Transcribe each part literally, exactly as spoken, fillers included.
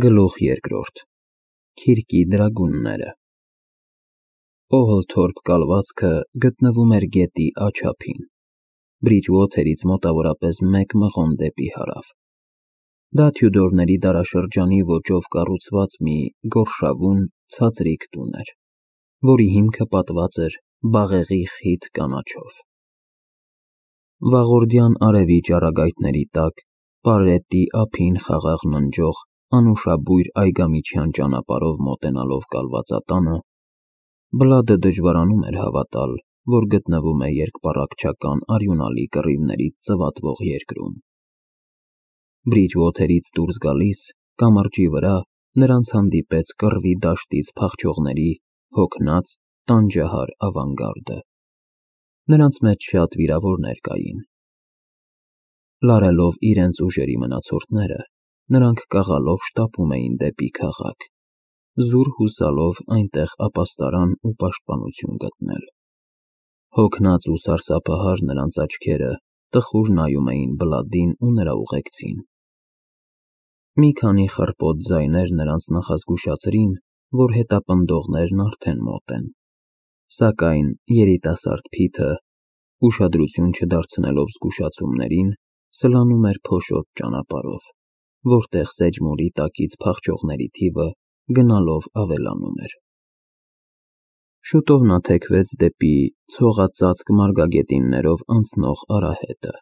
Գլուխ երկրորդ Քիրկի դրագունները Օհլթորփ կալվածքը գտնվում էր գետի աջափին, Բրիջվոթերից մոտավորապես մեկ մղոն դեպի հարավ։ Դա Թյուդորների դարաշրջանի ոճով կառուցված մի գորշավուն, ցածրիկ տուն էր, որի հիմքը պատված էր բաղեղի խիտ կանաչով։ Վաղորդյան արևի ճառագայթների տակ, պարետի ափին խաղաղ ննջող անուշաբույր այգամիջյան ճանապարհով մոտենալով կալվածատանը, Բլադը դժվարանում էր հավատալ, որ գտնվում է երկպառակտչական արյունալի կռիվներից ծվատվող երկրում։ Բրիջվոթերից դուրս գալիս, կամրջի վրա նրանց հանդիպեց կռվի դաշտից փախչողների հոգնած, տանջահար ավանգարդը։ Նրանց մեջ շատ վիրավորներ կային։ Լարելով իրենց ուժերի մնացորդները, նրանք կաղալով շտապում էին դեպի քաղաք, զուր հուսալով այնտեղ ապաստարան ու պաշտպանություն գտնել։ Հոգնած ու սարսափահար նրանց աչքերը տխուր նայում էին Բլադին ու նրա ուղեկցին։ Մի քանի խռպոտ ձայներ նրանց նախազգուշացրին, որ հետապնդողներն արդեն մոտ են, սակայն երիտասարդ Փիթը, ուշադրություն չդարձնելով զգուշացումներին, սլանում էր փոշոտ ճանապարհով, որտեղ Սեջմուրի տակից փախչողների թիվը գնալով ավելանում էր։ Շուտով նա թեքվեց դեպի ցողածածկ մարգագետիններով անցնող արահետը։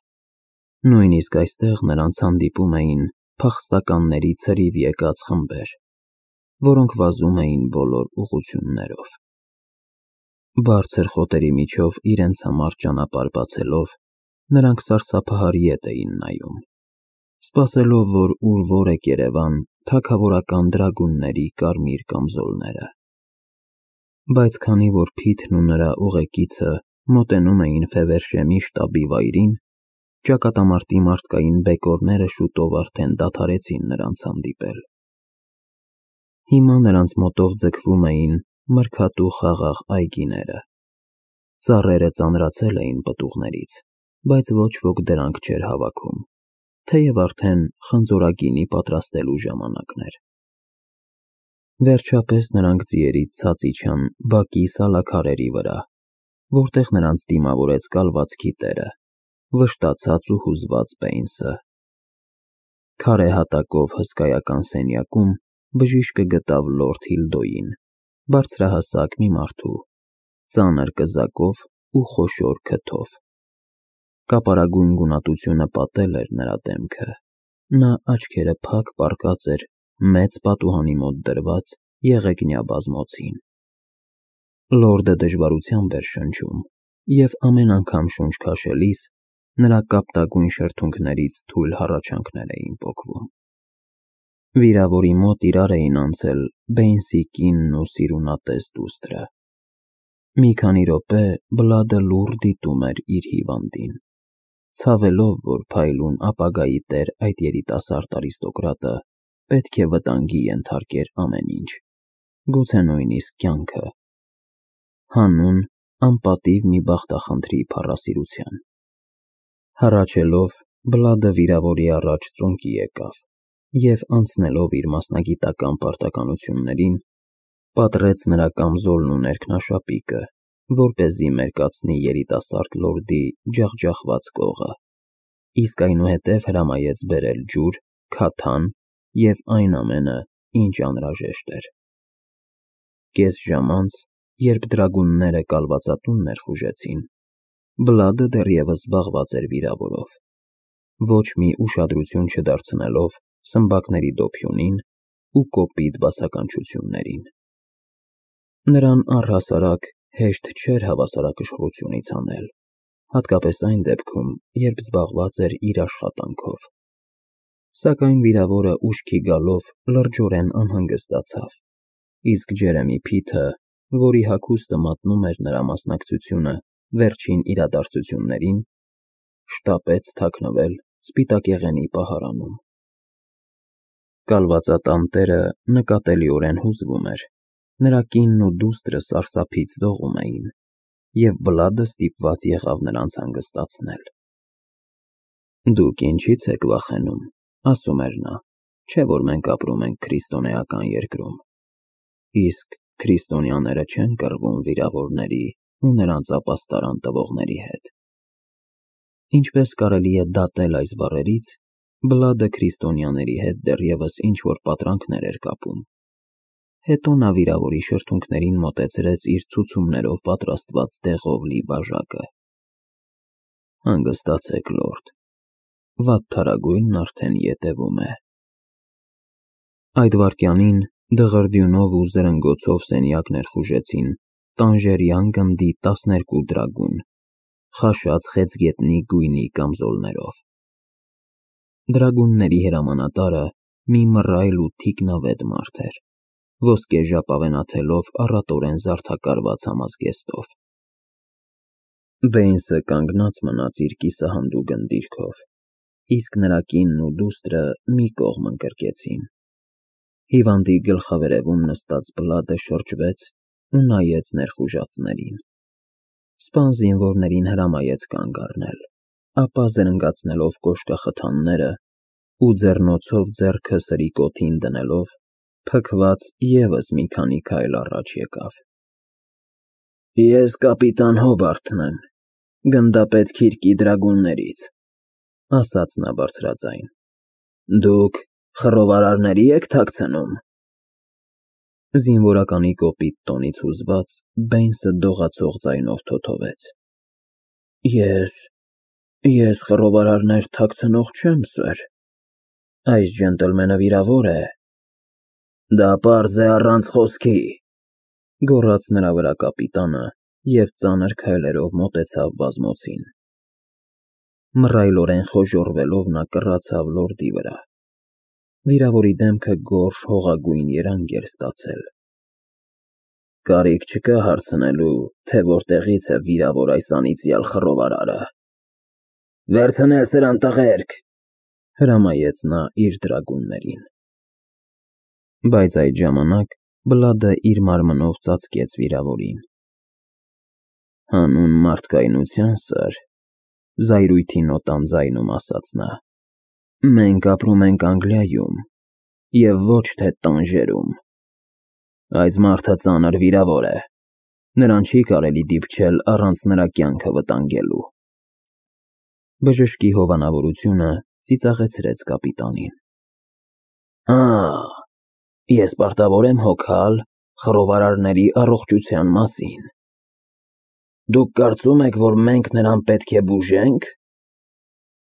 Նույնիսկ այստեղ նրանց հանդիպում էին փախստականների ցրիվ եկած խմբեր, որոնք վազում էին բոլոր ուղղություններով։ Բարձր խոտերի միջով իրենց համար ճանապարհ բացելով, նրանք սարսափահար ետ էին նայում, սպասելով, որ ուր որ է երևան թագավորական դրագունների կարմիր կամզոլները։ Բայց քանի որ Փիթն ու նրա ուղեկիցը մոտենում էին Ֆևերշեմի շտաբի վայրին, ճակատամարտի մարդկային բեկորները շուտով արդեն դադարեցին նրանց հանդիպել։ Հիմա նրանց մոտով ձգվում էին մրգատու խաղաղ այգիները։ Ծառերը ծանրացել էին պտուղներից, բայց ոչ ոք դրանք չէր հավաքում, թեև արդեն խնձորագինի պատրաստելու ժամանակն էր։ Վերջապես նրանք ձիերից ցած իջան բակի սալաքարերի վրա, որտեղ նրանց դիմավորեց կալվածքի տերը, վշտացած ու հուզված Բեյնսը։ Քարե հատակով հսկայական սենյակում բժիշկը գտավ լորդ Հիլդոյին, բարձրահասակ մի մարդու, ծանր կզակով ու խոշոր քթով։ Կապարագույն գունատությունը պատել էր նրա դեմքը, նա աչքերը փակ պառկած էր մեծ պատուհանի մոտ դրված եղեգնյա բազմոցին։ Լորդը դժվարությամբ էր շնչում, և ամեն անգամ շունչ քաշելիս նրա կապտագույն շրթունքներից թույլ հառաչանքներ էին պոկվում։ Վիրավորի մոտ իրար էին անցել Բեյնսի կինն ու սիրունատես դուստրը։ Մի քանի րոպե Բլադը լուռ դիտում էր իր հիվանդին, ցավելով, որ փայլուն ապագայի տեր այդ երիտասարդ արիստոկրատը պետք է վտանգի ենթարկեր ամեն ինչ, գուցե նույնիսկ կյանքը, հանուն անպատիվ մի բախտախնդրի փառասիրության։ Հառաչելով, Բլադը վիրավորի առաջ ծունկի եկավ և, անցնելով իր մասնագիտական պարտականություններին, պատռեց նրա կամզոլն ու ներքնաշապիկը, որպեսզի մերկացնի երիտասարդ լորդի ջախջախված կողը, իսկ այնուհետև հրամայեց բերել ջուր, քաթան և այն ամենը, ինչ անհրաժեշտ էր։ Կես ժամ անց, երբ դրագունները կալվածատուն ներխուժեցին, Բլադը դեռևս զբաղված էր վիրավորով, ոչ մի ուշադրություն չդարձնելով սմբակների դոփյունին ու կոպիտ բացականչություններին։ Նրան առհասարակ հեշտ չէր հավասարակշռությունից հանել, հատկապես այն դեպքում, երբ զբաղված էր իր աշխատանքով։ Սակայն վիրավորը ուշքի գալով լրջորեն անհանգստացավ, իսկ Ջերեմի Փիթը, որի հագուստը մատնում էր նրա մասնակցությունը վերջին իրադարձություններին, շտապեց թաքնվել սպիտակեղենի պահարանում։ Կալվածատան տերը նկատելիորեն հուզվում էր, նրա կինն ու դուստրը սարսափից դողում էին, և Բլադը ստիպված եղավ նրանց հանգստացնել։ «Դուք ինչի՞ց եք վախենում», ասում էր նա, Չէ՞ որ մենք ապրում ենք քրիստոնեական երկրում, իսկ քրիստոնյաները չեն կռվում վիրավորների ու նրանց ապաստարան տվողների հետ։ Ինչպես կարելի է դատել այս բառերից, Բլադը քրիստոնյաների հետ դեռևս ինչ-որ պատրանքներ էր կապում։ Հետո նա վիրավորի շրթունքներին մոտեցրեց իր ցուցումներով պատրաստված դեղով լի բաժակը։ Հանգստացեք, լորդ, վատթարագույնն արդեն ետևում է։ Այդ վայրկյանին դղրդյունով ու զրնգոցով սենյակ ներխուժեցին տանժերյան գնդի տասներկու դրագուն, խաշած խեցգետնի գույնի կամզոլներով։ Դրագունների հրամանատարը մի մռայլ ու թիկնավետ մարդ էր, ոսկե ժապավենաթելով առատորեն զարդակարված համազգեստով։ Բեյնսը կանգնած մնաց իր կիսահանդուգն դիրքով, իսկ նրա կինն ու դուստրը մի կողմ ընկրկեցին։ Հիվանդի գլխավերևում նստած Բլադը շրջվեց ու նայեց ներխուժածներին։ Սպան զինվորներին հրամայեց կանգ առնել, ապա զրնգացնելով կոշկախթանները ու ձեռնոցով ձեռքը սրի կոթին դնելով, փքված ևս մի քանի քայլ առաջ եկավ։ Ես կապիտան Հոբարթն եմ, գնդապետ Քիրկի դրագուններից, ասաց նա բարձրաձայն։ Դուք խռովարարների եք թաքցնում։ Զինվորականի կոպիտ տոնից հուզված Բեյնսը դողացող ձայնով թոթվեց. Ես… ես խռովարարներ թաքցնող չեմ, սըր, այս ջենտլմենը վիրավոր է։ Դա պարզ է առանց խոսքի, գոռաց նրա վրա կապիտանը և ծանր քայլերով մոտեցավ բազմոցին։ Մռայլորեն խոժոռվելով նա կռացավ լորդի վրա։ Վիրավորի դեմքը գորշ հողագույն երանգ էր ստացել։ Կարիք չկա հարցնելու, թե որտեղից է վիրավոր այս անիծյալ խռովարարը։ Վերցնել սրան, տղերք, հրամայեց նա իր դրագուններին։ Բայց այդ ժամանակ Բլադը իր մարմնով ծածկեց վիրավորին։ Հանուն մարդկայնության, սըր, զայրույթի նոտան ձայնում ասաց նա, մենք ապրում ենք Անգլիայում և ոչ թե Տանժերում։ Այս մարդը ծանր վիրավոր է, նրան չի կարելի դիպչել առանց նրա կյանքը վտանգելու։ Բժշկի հովանավորությունը ծիծաղեցրեց կապիտանին։ Հա, ես պարտավոր եմ հոգալ խռովարարների առողջության մասին։ Դուք կարծում եք, որ մենք նրան պետք է բուժենք։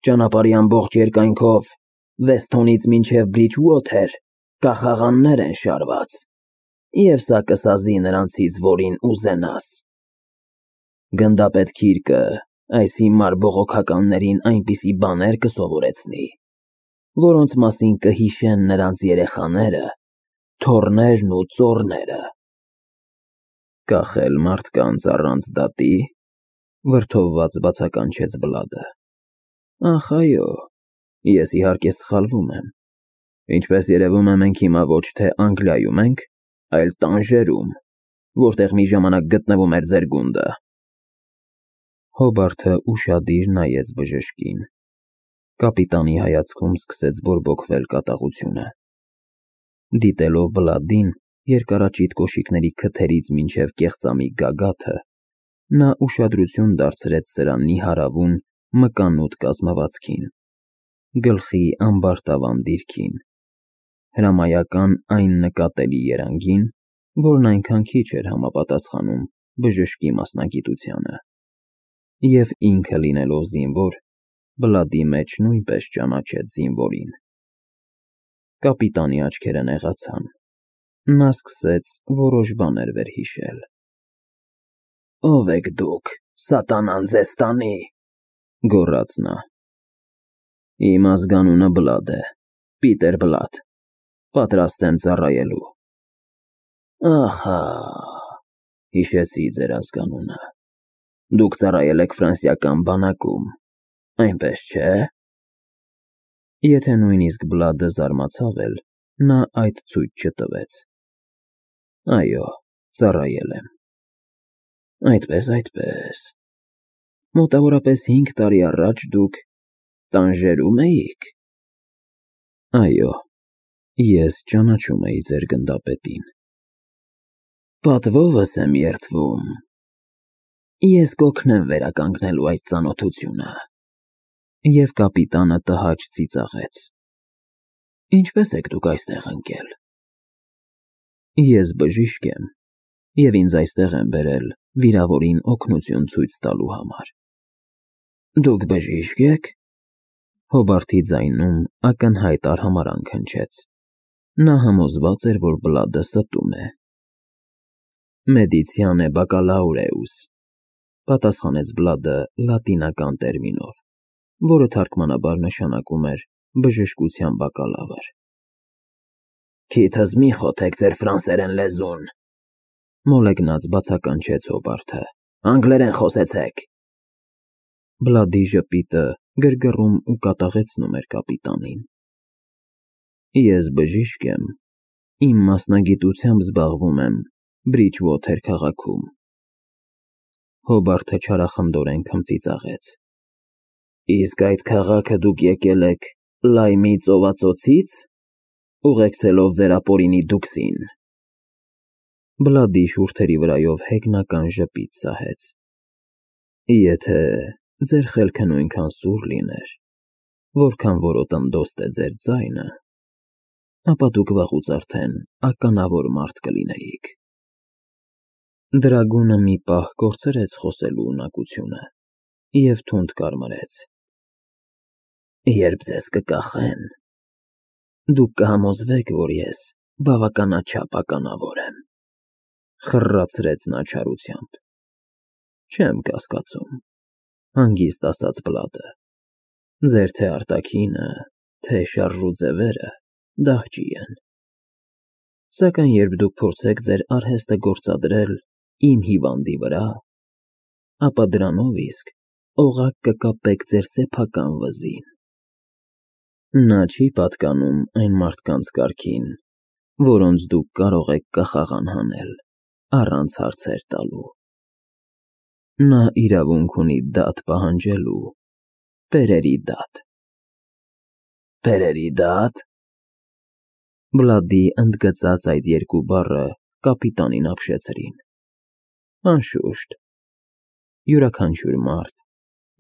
Ճանապարհի ամբողջ երկայնքով Վեսթոնից մինչև Բրիջուոթեր կախաղաններ են շարված, և սա կսազի նրանցից որին ուզենաս։ Գնդապետ Քիրկը այս հիմար բողոքականներին այնպիսի բաներ կսովորեցնի, որոնց մասին կհիշեն նրանց երեխաները, թոռներն ու ծոռները։ Կախել մարդկանց առանց դատի, վրդովված բացականչեց Բլադը։ Ախ, այո, ես իհարկե սխալվում եմ։ Ինչպես երևում է, մենք հիմա ոչ թե Անգլիայում ենք, այլ Տանժերում, որտեղ մի ժամանակ գտնվում էր ձեր գունդը։ Հոբարթը ուշադիր նայեց բժշկին։ Կապիտանի հայացքում սկսեց բորբոքվել կատաղությունը։ Դիտելով Բլադին, երկարաճիտ կոշիկների քթերից մինչև կեղծամի գագաթը, նա ուշադրություն դարձրեց սրանի հարավուն մկանուտ կազմվածքին, գլխի ամբարտավան դիրքին, հրամայական այն նկատելի երանգին, որն այնքան քիչ էր համապատասխանում բժշկի մասնագիտությանը, և ինքը լինելով զինվոր, Բլադի մեջ նույնպես ճանաչեց զինվորին։ Կապիտանի աչքերը նեղացան։ Նա սկսեց որոշ բաներ վերհիշել։ Ո՞վ եք դուք, սատանան ձեզ տանի, գոռաց նա։ Իմ ազգանունը Բլադ է, Պիտեր Բլադ, պատրաստ եմ ծառայելու։ Ահա, հիշեցի ձեր ազգանունը։ Դուք ծառայել եք ֆրանսիական բանակում, այնպես չէ՞։ Եթե նույնիսկ Բլադը զարմացավ էլ, նա այդ ցույց չտվեց։ Այո, ծառայել եմ։ Այդպես, այդպես։ Մոտավորապես հինգ տարի առաջ դուք Տանժերում էիք։ Այո, Ես ճանաչում էի ձեր գնդապետին։ Պատվովս եմ երդվում։ Ես կօգնեմ վերականգնելու այդ ծանոթությունը։ Եվ կապիտանը տհաճ ծիծաղեց։ Ինչպես եք դուք այստեղ ընկել։ Ես բժիշկ եմ, և ինձ այստեղ են բերել վիրավորին օգնություն ցույց տալու համար։ Դուք բժիշկ եք։ Հոբարտի ձայնում ակնհայտ արհամարհանք հնչեց։ Նա համոզված էր, որ Բլադը ստում է։ Մեդիցիանե բակալաուրեուս, պատասխանեց Բլադը լատինական տերմինով, որը թարգմանաբար նշանակում էր բժշկության բակալավր։ Քիթս մի խոթեք ձեր ֆրանսերեն լեզուն, մոլեգնած բացականչեց Հոբարտը, անգլերեն խոսեցեք։ Բլադի ժպիտը գրգռում ու կատաղեցնում էր կապիտանին։ Ես բժիշկ եմ, իմ մասնագիտությամբ զբաղվում եմ Բրիջվոթեր քաղաքում։ Հոբարտը չարախնդորեն քմծիծաղեց։ Իսկ այդ քաղաքը դուք եկել եք Լայմի ծովածոցի՞ց, ուղեկցելով ձեր ապօրինի դուքսին։ Բլադի շուրթերի վրայով հեգնական ժպիտ սահեց։ Եթե ձեր խելքը նույնքան սուր լիներ, որքան որոտնդոստ է ձեր ձայնը, ապա դուք վաղուց արդեն ականավոր մարդ կլինեիք։ Դրագունը մի պահ կորցրեց խոսելու ունակությունը և թունդ կարմրեց։ Երբ ձեզ կկախեն, դուք կհամոզվեք, որ ես բավականաչափ ականավոր եմ, խռռացրեց նա չարությամբ։ Չեմ կասկածում, հանգիստ ասաց Բլադը, ձեր թե արտաքինը, թե շարժու ձևերը դահճի են։ Սակայն երբ դուք փորձեք ձեր արհեստը գործադրել իմ հիվանդի վրա, ապա դրանով իսկ օղակ կկապեք ձեր սեփական վզին։ Նա չի պատկանում այն մարդկանց կարգին, որոնց դուք կարող եք կախաղան հանել առանց հարցեր տալու։ Նա իրավունք ունի դատ պահանջելու, պերերի դատ։ Պերերի դա՞տ։ Բլադի ընդգծած այդ երկու բառը կապիտանին ապշեցրին։ Անշուշտ, յուրաքանչյուր մարդ,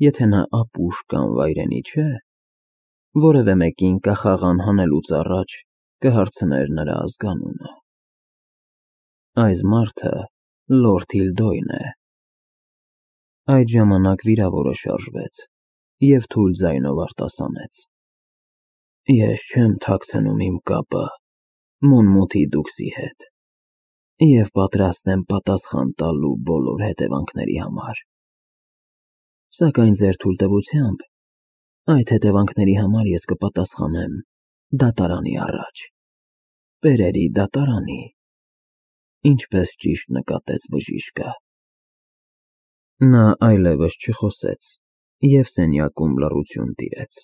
եթե նա ապուշ կամ վայրենի չէ, որևէ մեկին կախաղան հանելուց առաջ կհարցներ նրա ազգանունը։ Այս մարդը լորդ Հիլդոյն է։ Այդ ժամանակ վիրավորը շարժվեց և թույլ ձայնով արտասանեց. Ես չեմ թաքցնում իմ կապը Մունմութի դուքսի հետ և պատրաստ եմ պատասխան տալու բոլոր հետևանքների համար։ Սակայն ձեր թույլտվությամբ այդ հետևանքների համար ես կպատասխանեմ դատարանի առաջ, պերերի դատարանի, ինչպես ճիշտ նկատեց բժիշկը։ Նա այլևս չխոսեց և սենյակում լռություն տիրեց։